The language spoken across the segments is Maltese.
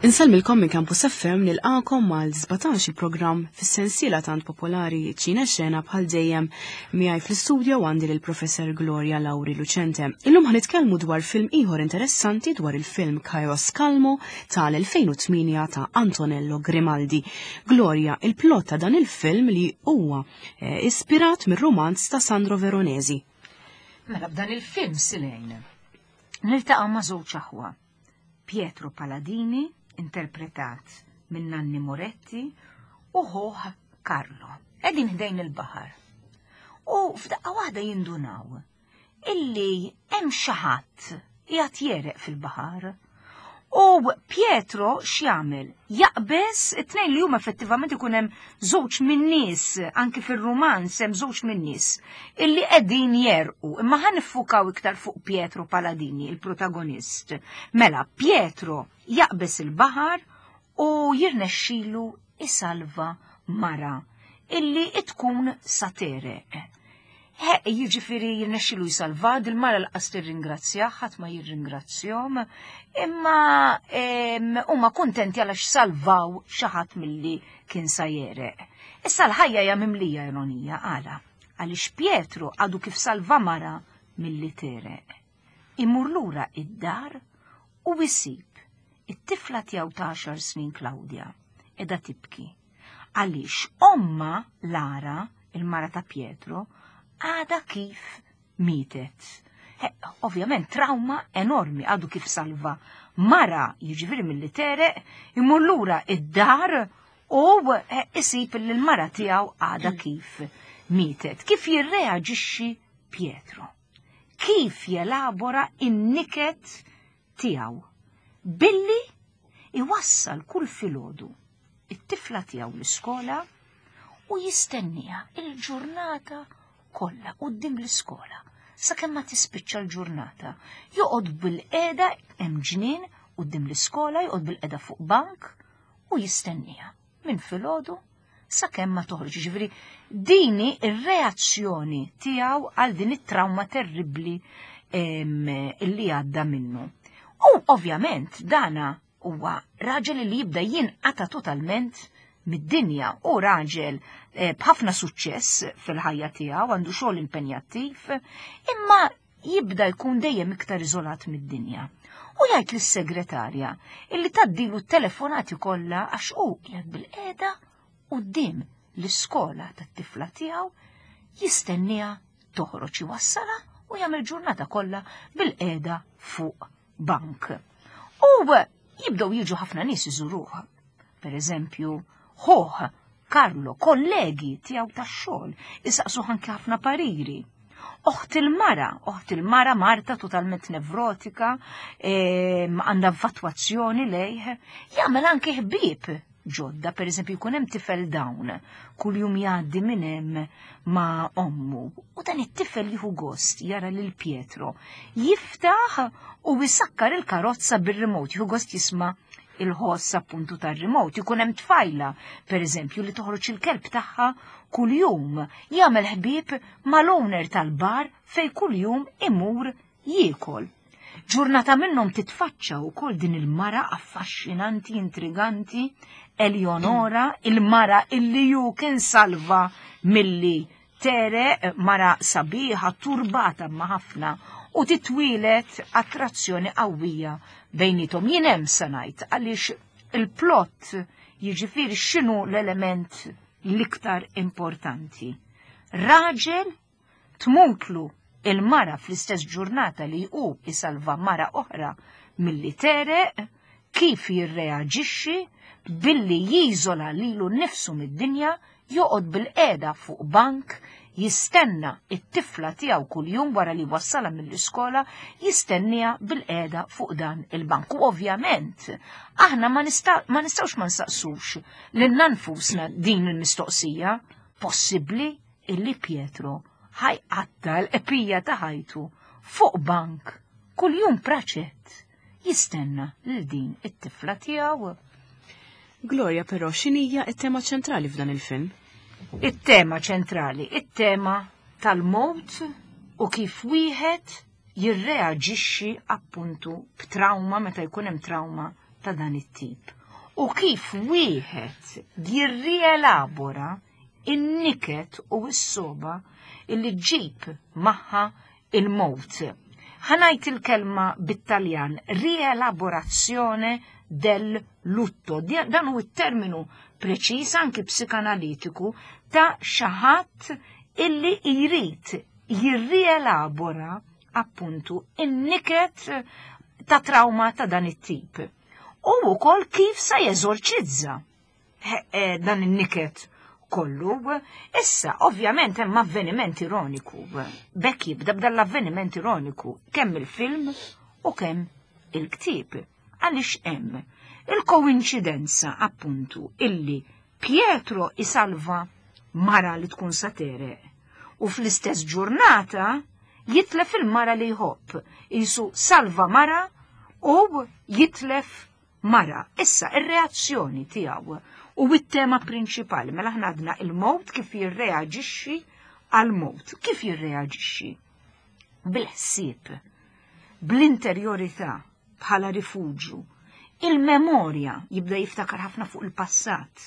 Insellmilkom minn Campus FM nilqakom mal 17 il-programm fis-sensiela tant popolari Ċina Xena bħal dejjem miegħi fl-istudio għandi lil Professor Gloria Lauri Lucente. Illum ħanitkellmu dwar film ieħor interessanti dwar il-film Chaos Calmo tal-2008 ta' Antonello Grimaldi. Gloria, il-plot ta' dan il-film li huwa eh, ispirat mir-romanz ta' Sandro Veronesi. Mela b'dan il-film silejn niltaqa' ma' żewġ aħwa Pietro Paladini, interpretat minn Nanni Moretti, u ħuh Carlo. Qegħdin ħdejn il-baħar. U f'daqqa waħda jindunaw illi hemm xi ħadd qiegħed jereq fil-baħar. U Pietro x'jagħmel? Jaqbeż it-tnejn li huma effettivament ikun hemm żewġ min-nies, anki fir-rumanz hemm żewġ min-nies illi qegħdin jerqu, imma ħa niffukaw iktar fuq Pietro Paladini, il-protagonist. Mela, Pietro jaqbeż il-baħar u jirnexxilu isalva mara illi tkun sa tereq. Jiġifieri jirnexxilu jsalva dil-mara laqas tirringrazzjah, ħadd ma jirringrazzjahom, imma huma kuntenti għalax salvaw xi ħadd milli kien sa jereq. Issa l-ħajja hija mimlija ironija għala għaliex Pietro għadu kif salva mara milli tereq. Imur lura id-dar u jsib it-tifla tiegħu ta' għaxar snin Claudia qiegħda tibki għaliex omma Lara, il-mara ta' Pietro, għadha kif mietet. Ovvjament trauma enormi għadu kif salva mara jiġifieri milli tereq imur lura id-dar u isib li l-mara tiegħu għadha kif mietet. Kif jirreaġixxi Pietro? Kif jelabora in-niket tiegħu? Billi iwassal kull filgħodu it-tifla tiegħu l-iskola u jistenniha il-ġurnata kollha quddiem l-iskola sakemm ma tispiċċa l-ġurnata. Joqgħod bil-qiegħda hemm ġnien quddiem l-iskola, joqgħod bil-qiegħda fuq bank u jistenniha minn filgħodu sakemm ma toħroġ. Ġifieri dini ir-reazzjoni tiegħu għal din it-trauma terribbli illi għadda minnu. U ovvjament dana huwa raġel li jibda jinqata totalment mid-dinja u raġel eh, b'ħafna suċċess fil-ħajja tiegħu, għandu xogħol impenjattiv, imma jibda jkun dejjem iktar iżolat mid-dinja. U jgħid lis-segretarja illi taddilu t-telefonati kollha għax hu qiegħed bil-qiegħda quddiem l-iskola tat-tifla tiegħu jistenniha toħroġ iwassala u jagħmel ġurnata kollha bil-qiegħda fuq bank. U jibdew jiġu ħafna nies iżuruh. Per eżempju, ħuh Carlo, kollegi tiegħu tax-xogħol, isaqsu anke ħafna pariri. Oħt il-mara, oħt il-mara Marta totalment nevrotika, għandha vatwazzjoni lejh, jagħmel anke ħbieb ġodda, per eżempju jkun hemm tifel dawn, kuljum jgħaddi minn hemm ma' ommu. U dan it-tifel jieħu gost jara lil Pietro jiftaħ u jisakkar il-karozza bir-remote, jieħu gost jisma' il-ħoss appuntu tar-remote. Jkun hemm tfajla, per eżempju, li toħroġ il-kelb tagħha kuljum, jagħmel ħbieb mal-owner tal-bar fej kuljum imur jiekol. Ġurnata minnhom titfaċċa wkoll din il-mara affaxxinanti, intriganti, Eleonora, il-mara illi ju kien salva milli tere, mara sabiħa, turbata ma ħafna u titwilet attrazzjoni qawwija bejnietom. Jien hemm se ngħid għaliex il-plot jiġifieri x'inhu l-element l-iktar importanti. Raġel tmutlu il-mara fl-istess ġurnata li hu isalva mara oħra milli tereq, kif jirreaġixxi billi jiżola lilu nnifsu mid-dinja, joqgħod bilqiegħda fuq bank, jistenna t-tifla tiegħu kuljum wara li jwassalha mill-iskola, jistenniha bilqiegħda fuq dan il-bank. U ovvjament, aħna ma nistgħux ma nsaqsux lilna nfusna din il-mistoqsija, possibbli illi Pietro ħajqatta l-qpija ta' ħajtu fuq bank kuljum praċett jistenna lil din it-tifla tiegħu. Gloria però x'inhija t-tema ċentrali f'dan il-film? It-tema ċentrali, it-tema tal-mowt u kif wieħed jirreaġixxi appuntu b'trawma meta jkun hemm trawma ta' dan it-tip. U kif wieħed jirrielabora in-niket u s-soba illi ġib magħha il-mowt. Ħanajt il-kelma bit-Taljan rielaborazione del lutto. Dan hu t-terminu preċiż anki psikanalitiku ta' xi ħadd illi jrid jirrielabora appuntu in-niket ta' trauma ta' dan it-tip. U wkoll kif sa jeżorċizza eh, dan in-niket kollu. Issa, ovvjament, hemm avveniment ironiku. Bekk jibda b'dan l-avveniment ironiku, kemm il-film u kemm il-ktieb. Għaliex hemm il-koinċidenza appuntu illi Pietro isalva mara li tkun satere u fl-istess ġurnata jitlef il-mara li jħobb. Isu salva mara u jitlef mara. Issa, ir-reazzjoni tiegħu u t-tema prinċipali, mela aħna għadna il-mowt kif jirreaġixxi għal-mowt. Kif jirreaġixxi? Bil-ħsieb, bl-interjorità bħala rifuġju, il-memorja jibda jiftakar ħafna fuq il-passat,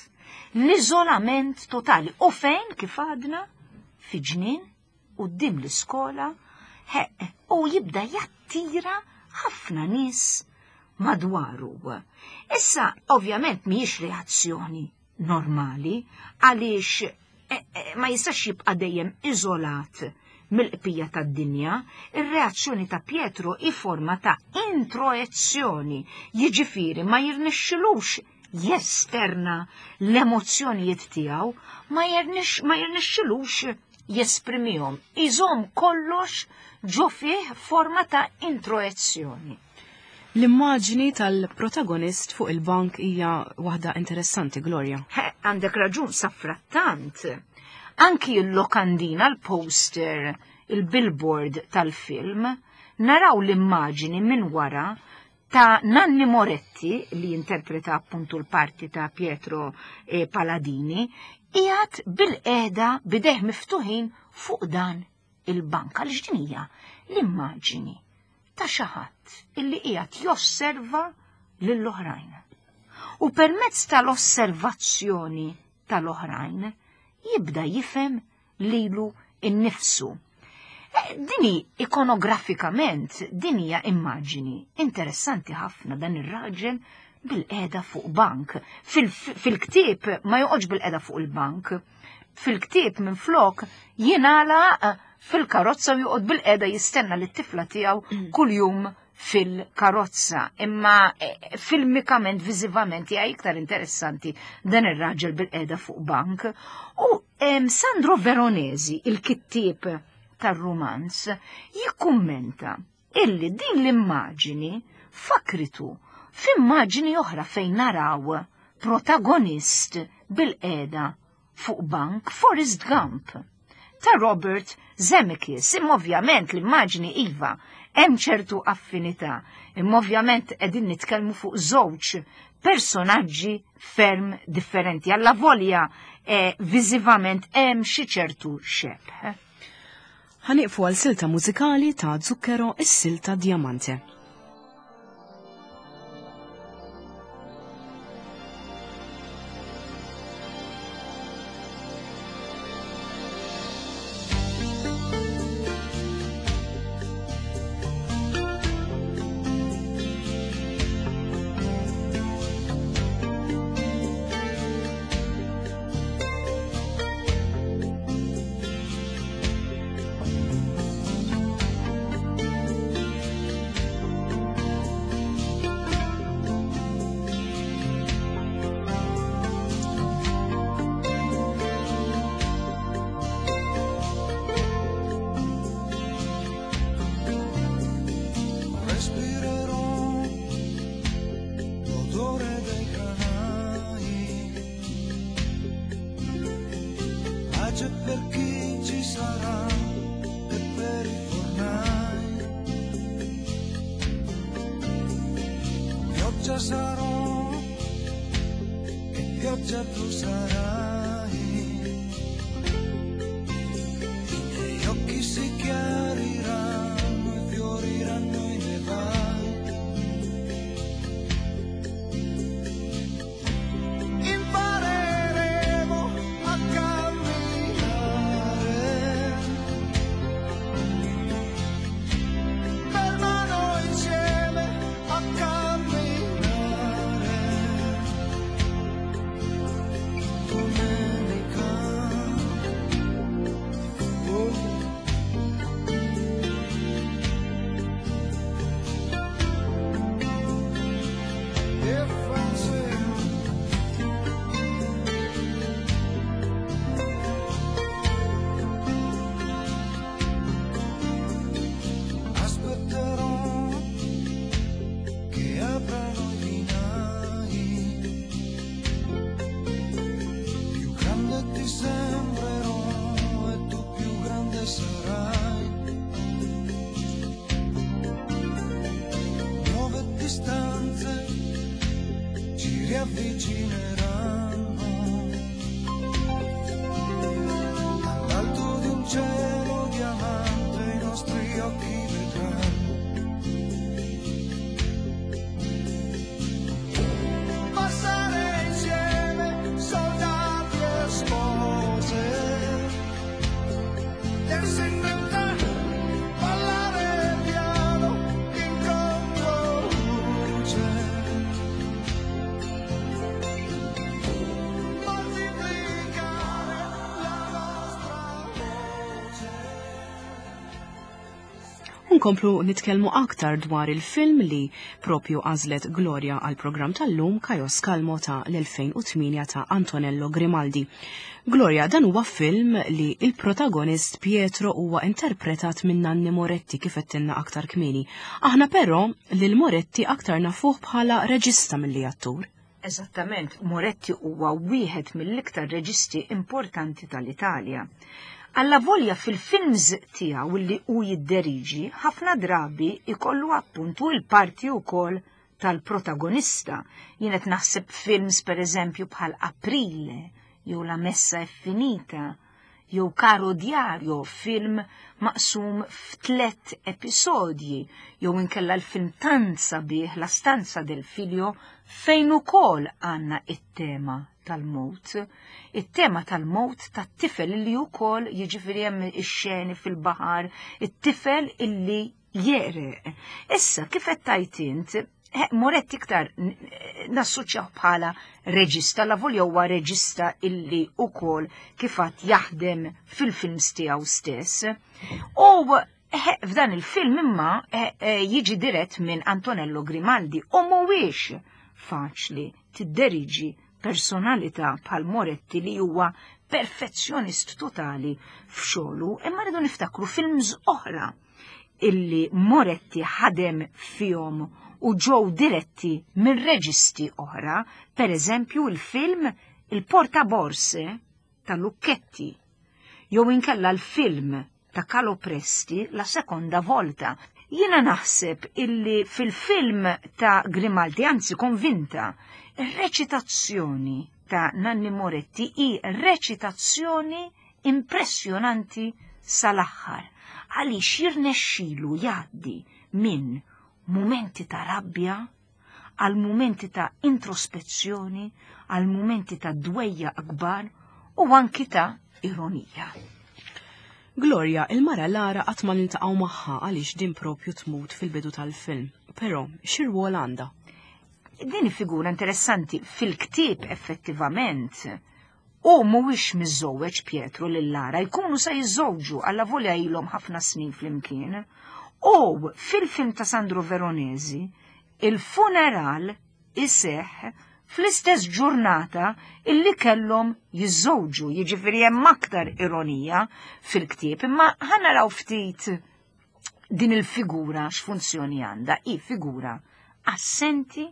l-iżolament totali u fejn kif għadna fi ġnien quddiem l-iskola u jibda jattira ħafna nies madwaru. Issa, ovvjament, mhijiex reazzjoni normali għaliex eh, eh, ma jistax jibqa' dejjem iżolat mill-qpija tad-dinja, ir-reazzjoni ta' Pietro hi forma ta' introezzjoni, jiġifieri ma jirnexxilux jesterna l-emozzjonijiet tiegħu, ma jirnexxilux jesprimihom, iżomm kollox ġo fih forma ta' introezzjoni. L-immaġni tal-protagonist fuq il-bank hija waħda interessanti, Gloria. Għandek raġun, safrattant. Anki l-lokandina, l-poster, il-billboard tal-film, naraw l-immaġni minn wara ta' Nanni Moretti, li jinterpreta appuntu l-parti ta' Pietro eh, Paladini, qiegħed bil-qeda bideh miftuħin fuq dan il-bank. Għaliex din hija l-immaġini ta' xi ħadd illi qiegħed josserva lill-oħrajn. U permezz tal-osservazzjoni tal-oħrajn jibda jifhem lilu innifsu. Eh, dini ikonografikament, din hija immaġini interessanti ħafna dan ir-raġel bil-qeda fuq bank. Fil-ktieb ma joqgħodx bil-qeda fuq il-bank. Fil-ktieb minn flok jingħala eh, fil-karozza u joqgħod bil-qeda jistenna li t-tifla tiegħu mm. kuljum fil-karozza, imma eh, filmikament, viżivament hija iktar interessanti dan ir-raġel bil-qeda fuq bank. U Sandro Veronesi, il-kittieb tar-rumanz, jikkummenta illi din l-immaġini fakritu f'immaġini oħra fejn naraw protagonist bil-qeda fuq bank Forrest Gump ta' Robert Zemeckis. Imma ovvjament l-immaġni iva hemm ċertu affinità, imma ovvjament qegħdin nitkellmu fuq żewġ personaġġi ferm differenti. Alla volja eh, viżivament hemm xi ċertu xebh. Ħaniqfu għal silta mużikali ta' Zucchero is-silta Diamante. ti sembrerò e tu più grande sarai. Nuove distanze ci riavvicineranno. Dall'alto di un cielo diamante i nostri occhi vedranno. Passare insieme soldati e spose, tersi in vent'anni, ballare piano in controluce, moltiplicare la nostra voce. Nkomplu nitkellmu aktar dwar il-film li propju għażlet Gloria għal programm tal-lum Kajos Kalmo ta' l-2008 ta' Antonello Grimaldi. Gloria, dan huwa film li il-protagonist Pietro huwa interpretat minn Nanni Moretti kif għedtilna aktar kmieni. Aħna però lil Moretti aktar nafuh bħala reġista milli attur. Eżattament, Moretti huwa wieħed mill-iktar reġisti importanti tal-Italja. Alla volja fil-films tiegħu li hu jidderiġi, ħafna drabi ikollu appuntu il-parti wkoll tal-protagonista. Jien qed naħseb films per eżempju bħal Aprile, jew La Messa è Finita, jew Caro Diario, film maqsum f'tlet episodji, jew inkella l-film tant sabiħ La Stanza del Figlio, fejn ukoll għandna it-tema tal-mowt. It-tema tal-mowt tat-tifel illi wkoll jiġifieri hemm ix-xeni fil-baħar, it-tifel illi jeqreq. Issa, kif qed tgħid int, Moretti iktar nassoċjaw bħala reġista, la volja huwa reġista illi wkoll kif għad jaħdem fil-films tiegħu stess. U f'dan il-film imma jiġi dirett minn Antonello Grimaldi u mhuwiex faċli tidderiġi personalità bħal Moretti li huwa perfezzjonist totali f'xogħlu, imma rridu niftakru films oħra illi Moretti ħadem fihom u ġew diretti minn reġisti oħra, per eżempju il-film Il Portaborse ta' Lucchetti, jew inkella l-film ta' Calopresti La Seconda Volta. Jiena naħseb illi fil-film ta' Grimaldi, anzi konvinta, ir-reċitazzjoni ta' Nanni Moretti hi reċitazzjoni impressjonanti sal-aħħar, għaliex jirnexxilu jgħaddi minn mumenti ta' rabbja għal mumenti ta' introspezzjoni, għal mumenti ta' dwejja akbar u anki ta' ironija. Gloria, il-mara Lara qatt ma niltaqgħu magħha għaliex din propju tmut fil-bidu tal-film. Però, xi rwol għandha? Din figura interessanti fil-ktieb effettivament. U mhuwiex miżżewweġ Pietro lil Lara, jkunu sa jiżżewġu alla volja ilhom ħafna snin flimkien. U fil-film ta' Sandro Veronesi, il-funeral iseħħ fl-istess ġurnata illi kellhom jiżżewġu, jiġifieri hemm aktar ironija fil-ktieb, imma ħa naraw ftit din il-figura x'funzjoni għandha. Hi figura assenti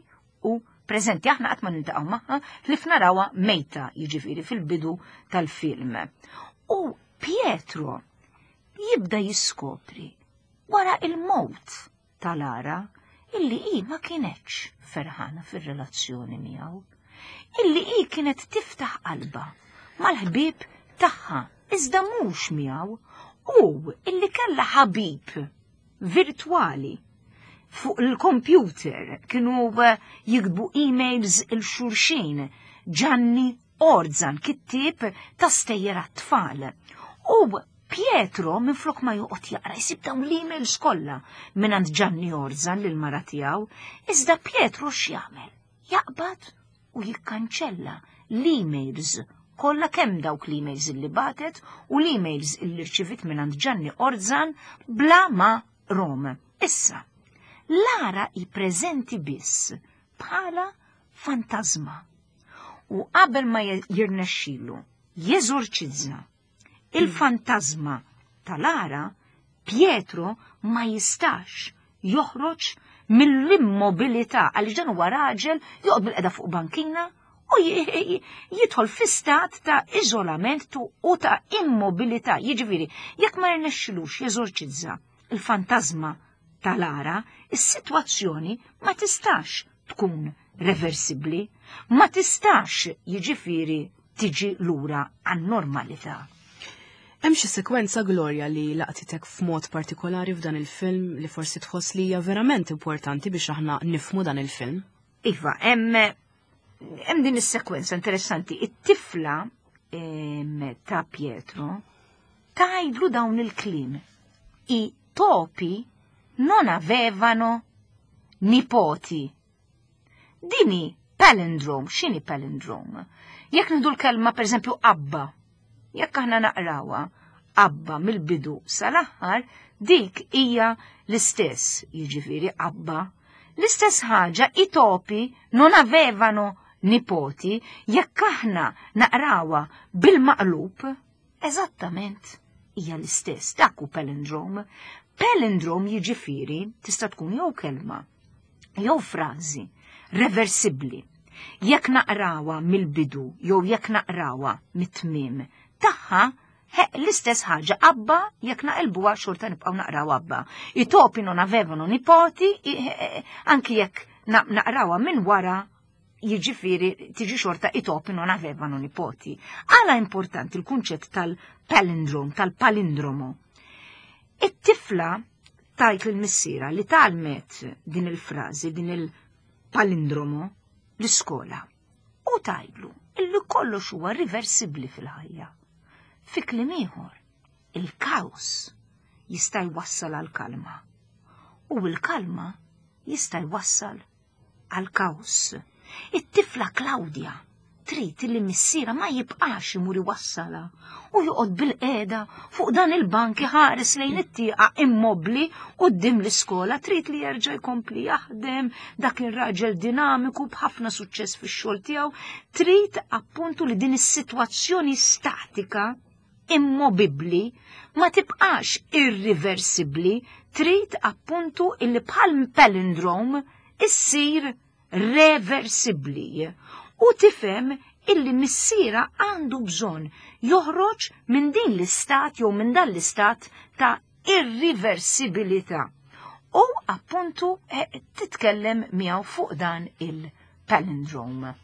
u preżenti, aħna qatt ma niltaqgħu magħha ħlief narawha mejta, jiġifieri fil-bidu tal-film. U Pietro jibda jiskopri wara il-mowt ta' Lara illi hi ma kienetx ferħana fir-relazzjoni miegħu, illi hi kienet tiftaħ qalbha mal-ħbieb tagħha iżda mhux miegħu, u illi kellha ħabib virtwali fuq il-kompjuter, kienu jiktbu emails il-xulxin, Gianni Orzan, kittieb ta' stejjer għat-tfal. U Pietro minflok ma joqgħod jaqra jsib dawn l-emails kollha mingħand Gianni Orzan lil mara tiegħu, iżda Pietro x'jagħmel? Jaqbad u jikkanċella l-emails kollha, kemm dawk l-emails illi batet u l-emails illi rċivit mingħand Gianni Orzan bla ma rom. Issa, Lara hi preżenti biss bħala fantasma. U qabel ma jirnexxilu jeżorċizza il-fantasma ta' Lara, Pietro ma jistax joħroġ mill-immobilità, għaliex dan huwa raġel joqgħod bil-qeda fuq bankina U jidħol fi stat ta' iżolament u ta' immobilità. Jiġifieri, jekk ma jirnexxilux jeżorċizza il-fantażma tal-ara, is-sitwazzjoni ma tistax tkun reversibbli, ma tistax jiġifieri tiġi lura għan-normalità. Hemm xi sekwenza Gloria li laqtitek f'mod partikolari f'dan il-film li forsi tħoss li hija verament importanti biex aħna nifmu dan il-film? Iva, hemm hemm din is-sekwenza interessanti. It-tifla ta' Pietro tgħidlu dawn il-kliem. I topi non avevano nipoti. Dini palindrome, x'inhi palindrome? Jekk nieħdu l-kelma pereżempju abba, jekk aħna naqrawha abba mill-bidu sal-aħħar, dik hija l-istess, jiġifieri abba. L-istess ħaġa i topi non avevano nipoti, jekk aħna naqrawha bil-maqlub, eżattament hija l-istess, dak hu palindrome. Palindrome jiġifieri tista' tkun jew kelma jew frażi reversibbli. Jekk naqrawha mill-bidu jew jekk naqrawha mit-tmiem tagħha, l-istess ħaġa abba jekk naqilbuha xorta nibqgħu naqraw abba. I topi non avevano nipoti, anki jekk naqrawha minn wara jiġifieri tiġi xorta i topi non avevano nipoti. Għala importanti l-kunċett tal-palindrom, tal-palindromo. It-tifla tajt lil missiera li tgħallmet din il-frażi, din il-palindromo l-iskola. U tgħidlu illi kollox huwa riversibbli fil-ħajja. Fi kliem ieħor, il-kaos jista' jwassal għal kalma. U l-kalma jista' jwassal għal kaos. It-tifla Claudia trid li missiera ma jibqax imur iwassalha u joqgħod bil-qiegħda fuq dan il-bank iħares lejn it-tieqa immobbli quddiem l-iskola, trid li jerġa' jkompli jaħdem dak ir-raġel dinamiku b'ħafna suċċess fix-xogħol tiegħu, trid appuntu li din is-sitwazzjoni statika immobibbli ma tibqax irriversibbli, trid appuntu illi bħal palindrome issir reversibbli u tifhem illi missiera għandu bżonn joħroġ minn din l-istat jew minn dan l-istat ta' irriversibilità. U appuntu eh, titkellem miegħu fuq dan il-palindrome.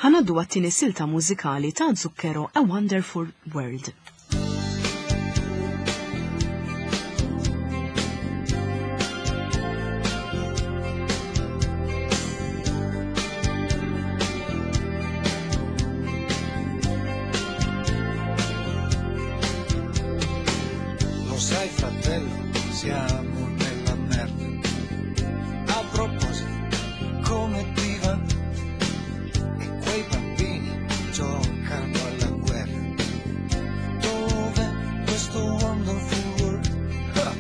Ħa ngħaddu għat-tieni silta mużikali ta' Zucchero A Wonderful World. Lo sai fratello, siamo nella merda. A proposito, come ti va? E quei bambini giocano alla guerra. Dov'è questo wonderful world? Ah!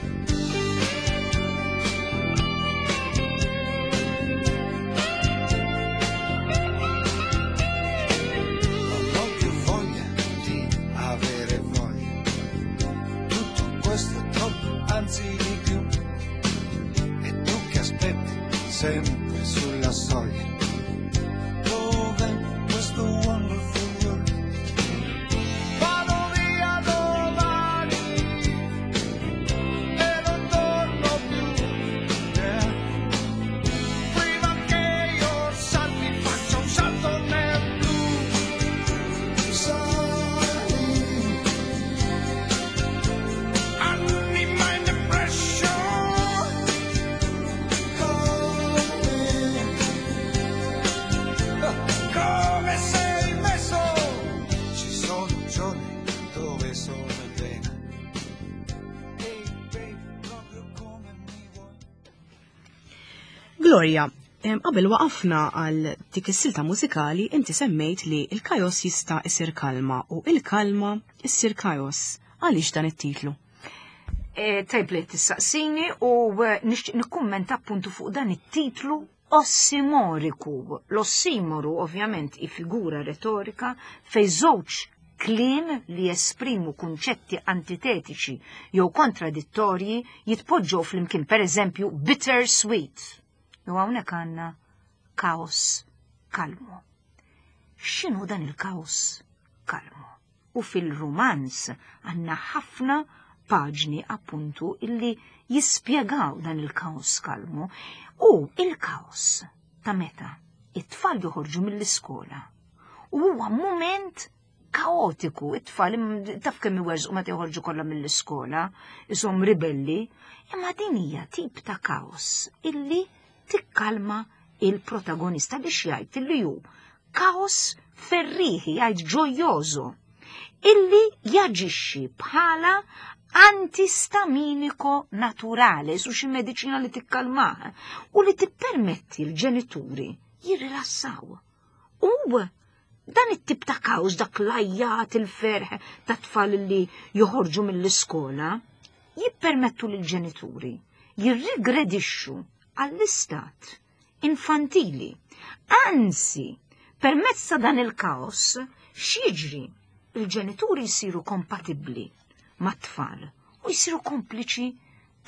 Non ho più voglia di avere voglia. Tutto questo è troppo, anzi di più. E tu che aspetti sempre sulla soglia. Dov'è questo wonderful world? Vado via domani e non torno più. Yeah. Prima che io salti faccia un salto nel blu. Sali. Anima in depression. Come, come sei messo? Ci sono giorni dove sono bene. Ehi baby, proprio come mi vuoi. Gloria, qabel waqafna għal dik is-silta mużikali inti semmejt li il-kaos jista' isir kalma u il-kalma issir kaos. Għaliex dan it-titlu? Tajb li tissaqsini u nixtieq nikkummenta appuntu fuq dan it-titlu ossimoriku. L-ossimoru ovvjament hi figura retorika fej żewġ kliem li jesprimu kunċetti antitetiċi jew kontradittorji jitpoġġew flimkien, per eżempju bitter sweet. Jew hawnhekk għandna kaos kalmu. X'inhu dan il-kaos kalmu? U fil-rumanz għandna ħafna paġni appuntu illi jispjegaw dan il-kaos kalmu u il-kaos ta' meta it-tfal joħorġu mill-iskola. U huwa mument kaotiku, it-tfal taf kemm iwerżqu meta joħorġu kollha mill-iskola, ishom ribelli, imma din hija tip ta' kaos illi tikkalma il-protagonista biex jgħid illi hu kaos ferriħi, jgħid ġojoso, illi jaġixxi bħala antistaminico naturale, su xi mediċina li tikkalmah u li tippermetti l-ġenituri jirrilassaw. U dan it-tip ta' kaos, dak l-ajjat, il-ferħ ta' tfal li joħorġu mill-iskola, jippermettu lill-ġenituri jirrigredixxu għall-istat infantili. Anzi, permezz ta' dan il-kaos, x'jiġri? Il-ġenituri jsiru kompatibbli mat-tfal u jsiru kompliċi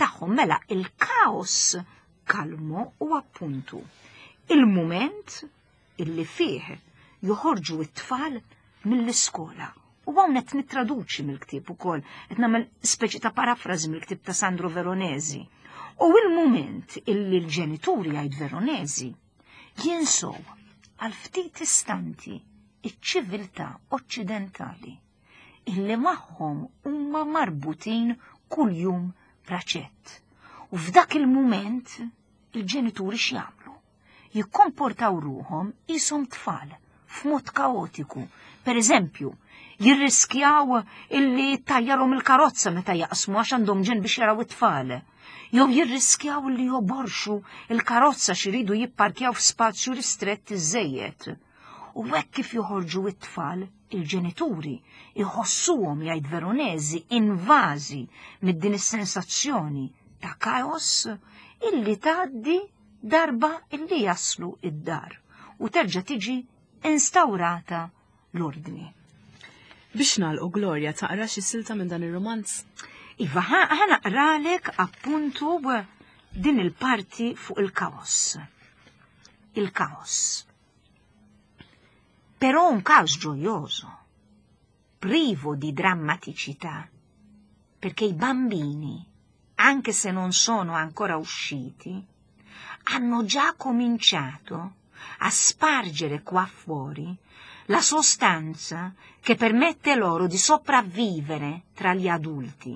tagħhom. Mela il-kaos kalmo u appuntu il-mument illi fih joħorġu it-tfal mill-iskola. U hawn qed nittraduċi mill-ktieb ukoll, qed nagħmel speċi ta' parafrażi mill-ktieb ta' Sandro Veronesi. U il-mument illi l-ġenituri jgħid Veronesi jinsow għal ftit istanti iċ-ċiviltà oċċidentali illi magħhom huma marbutin kuljum praċett. U f'dak il-mument il-ġenituri x'jagħmlu? Jikkomportaw ruħhom qishom tfal f'mod kaotiku. Per eżempju, jirriskjaw illi tajjarhom il-karozza meta jaqsmu għax għandhom ġen biex jaraw it-tfal. Jew jirriskjaw illi joborxu il-karozza xiridu jipparkjaw f'spazju ristrett iżejjed. U hekk kif joħorġu it-tfal, il-ġenituri iħossuhom jgħid Veronesi invażi mid din is-sensazzjoni ta' kaos illi tgħaddi darba illi jaslu id-dar u terġa' tiġi instaurata l-ordni. Biex nagħlqu Gloria taqra xi silta minn dan ir-rumanz? Iva, ħa naqralek appuntu din il-parti fuq il-kaos. Il-kaos. Però un caos gioioso, privo di drammaticità, perché i bambini, anche se non sono ancora usciti, hanno già cominciato a spargere qua fuori la sostanza che permette loro di sopravvivere tra gli adulti,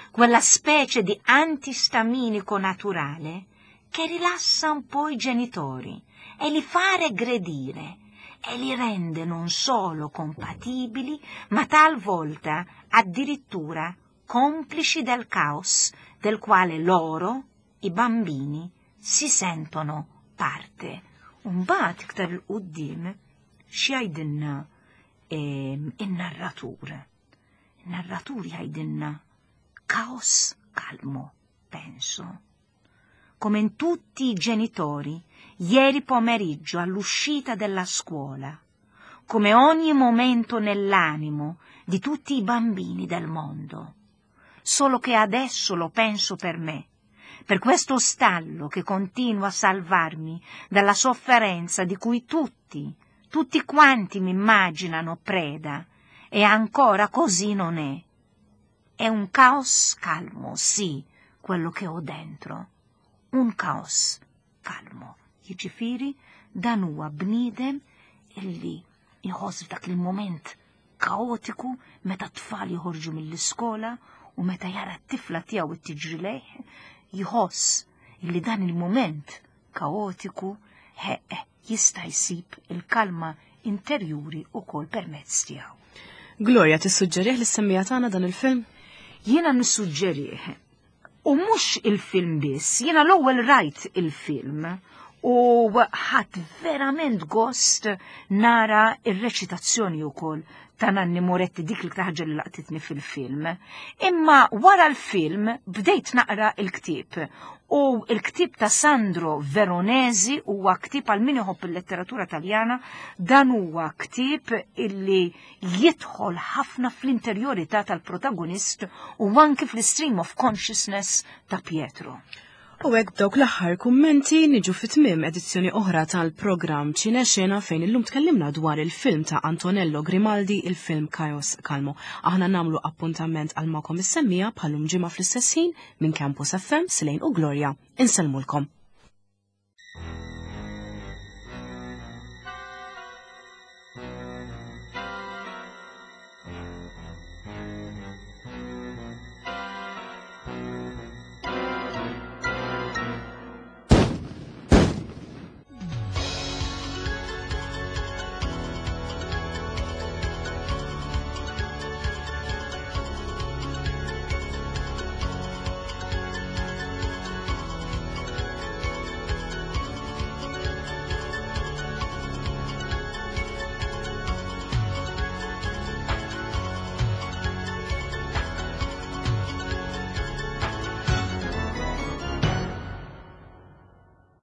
quella specie di antistaminico naturale che rilassa un po' i genitori e li fa regredire e li rende non solo compatibili, ma talvolta addirittura complici del caos del quale loro, i bambini, si sentono parte. Umbagħad iktar 'il quddiem x'jgħidilna in-narratur? In-narratur jgħidilna caos calmo, penso. Come in tutti i genitori, ieri pomeriggio all'uscita della scuola, come ogni momento nell'animo di tutti i bambini del mondo. Solo che adesso lo penso per me, per questo stallo che continua a salvarmi dalla sofferenza di cui tutti, tutti quanti mi immaginano preda, e ancora così non è. È un caos calmo, sì, quello che ho dentro. Un caos calmo. Jiġifieri dan huwa bniedem illi jħoss f'dak il-moment kaotiku meta t-tfal joħorġu mill-iskola u meta jara t-tifla tiegħu tiġri lejh, jħoss illi dan il-moment kaotiku ħeq jista' jsib il-kalma interjuri ukoll permezz tiegħu. Gloria, tissuġġerih lis-semmiegħa tagħna dan il-film? Jiena nissuġġerih. U mhux il-film biss, jiena l-ewwel rajt il-film u ħadt verament gost nara ir-reċitazzjoni wkoll ta' Nanni Moretti, dik li ħaġa li laqtitni fil-film. Imma wara l-film bdejt naqra il-ktieb. U il-ktieb ta' Sandro Veronesi huwa ktieb għal min iħobb il-letteratura Taljana, dan huwa ktieb illi jidħol ħafna fl-interjorità tal-protagonist u anki fl-stream of consciousness ta' Pietro. U hekk b'dawk l-aħħar kummenti niġu fi tmiem edizzjoni oħra tal-programm Ċine Xena fejn illum tkellimna dwar il-film ta' Antonello Grimaldi, il-film Chaos Calmo. Aħna nagħmlu appuntament għal magħkom is-semmiegħa bħal-lum ġimgħa fl-istess ħin minn Campus FM, Silejn u Gloria. Insellmulkom.